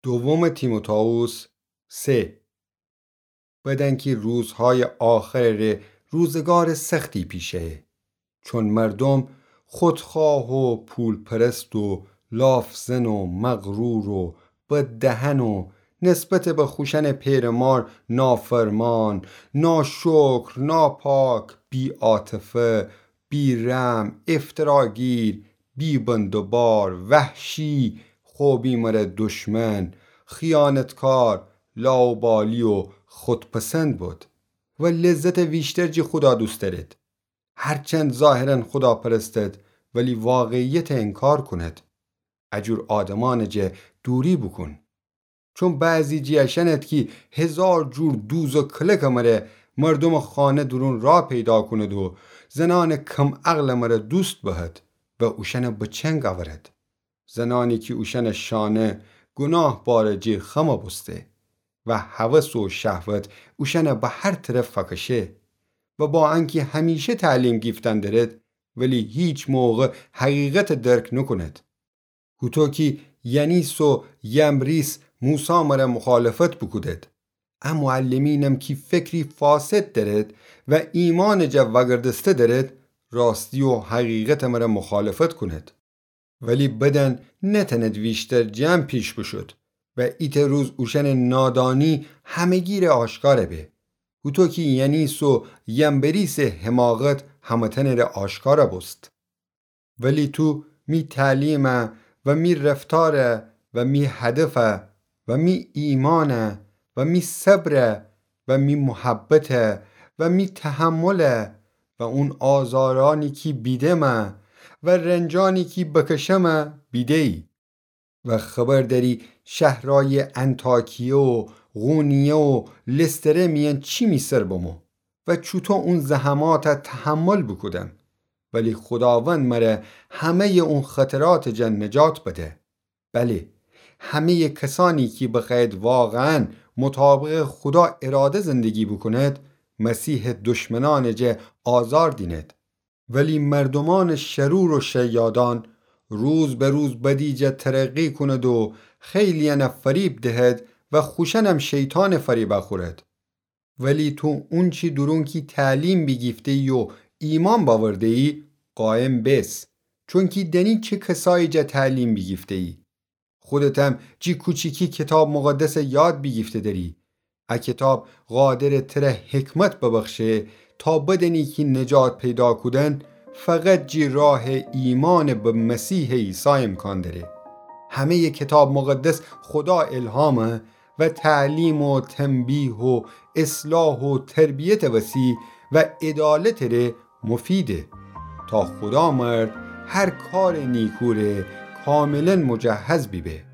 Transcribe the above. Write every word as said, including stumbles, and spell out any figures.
دوم تیموتائوس سه. بدن کی روزهای آخرٚ ره روزگارٚ سختی پیشه‌یه. چون مردم خودخواه و پولپرست و لافزن و مغرور و بددهن و نسبت به خوشأنٚ پئرمار نافرمان، ناشکر، ناپاک، بی‌عاطفه، بی‌رحم، افتراگیر، بی‌بندوبار، وحشی، خو بی مره دشمن، خیانتکار، لاابالی و خودپسند بد و لذتٚ ویشتر جی خودا دوست دأرد. هرچند ظاهراً خودا پرستد، ولی واقعیتٚ انکار کند. اجور آدمأنٚ جه دوری بوکون. چون بعضی جی اشأنت کی هزار جور دوز و کلکٚ مره مردومٚ خانه دورون راه پیدا کند و زنأنٚ کم‌عقلٚ مره دوست بهد و اوشأنه به چنگ اورد. زنأنی کی اوشأنٚ شانه گناه بارٚ جیر خم بوسته و هوس و شهوت اوشأنه به هر طرف فکشه و با انکی همیشه تعلیم گیفتن درد، ولی هیچ موقع حقیقت درک نوکوند. هوطو کی ینیس و ینبریس موسی مره مخالفت بوکودد، ا معلمینم کی فکری فاسد درد و ایمانٚ جا وگردسته درد، راستی و حقیقتٚ مره مخالفت کند. ولی بدن نتند ویشتر جمع پیش بشود و ایتأ روز اوشأنٚ نادانی همگی ره آشکار به. هوطو کی ینیس و ینبریسٚ حماقت همه‌تأنٚ ره آشکار بوست. ولی تو می تعلیمه و می رفتاره و می هدفه و می ایمانه و می صبره و می محبته و می تحمله و اون آزارأنی کی بیدمه و رنجأنی کی بکشمه بیده‌یی. و خبر دأری شهرأیٚ انطاکیه و قونیه و لستره میأن چی می سر بمو و چوطو اون زحماته تحمل بوکودم. ولی خوداوند مره همه‌یٚ اون خطراتٚ جا نجات بده. بله، همه‌یٚ کسأنی کی بخوأید واقعاً مطابقٚ خودا اراده زندگی بوکوند، مسیحٚ دشمنأنٚ جا آزار دینید. ولی مردومأنٚ شرور و شیادأن روز به روز بدی جا ترقی کوند و خیلی‌یأنه فریب دهد و خوشأنم شیطان فریبه خورد. ولی تو اونچی دورون کی تعلیم بیگیفته‌یی و ایمأن بأورده‌یی، قایم بس، چونکی دأنی چه کسأیی جا تعلیم بیگیفته‌یی. خودتم جی کوچیکی کیتاب مقدسه یاد بیگیفته دأری. ا کیتاب قادره تره حکمت ببخشه تا بدأنی کی نجات پیدا کودن فقط جی راهٚ ایمأن به مسیحٚ عیسی امکان دأره. همه‌یٚ کیتاب مقدس خودا الهامه و تعلیم و تنبیه و اصلاح و تربیتٚ وسی و عدالتٚ ره مفیده، تا خودا مرد هر کارٚ نیکو ره کاملاً مجهز بیبه.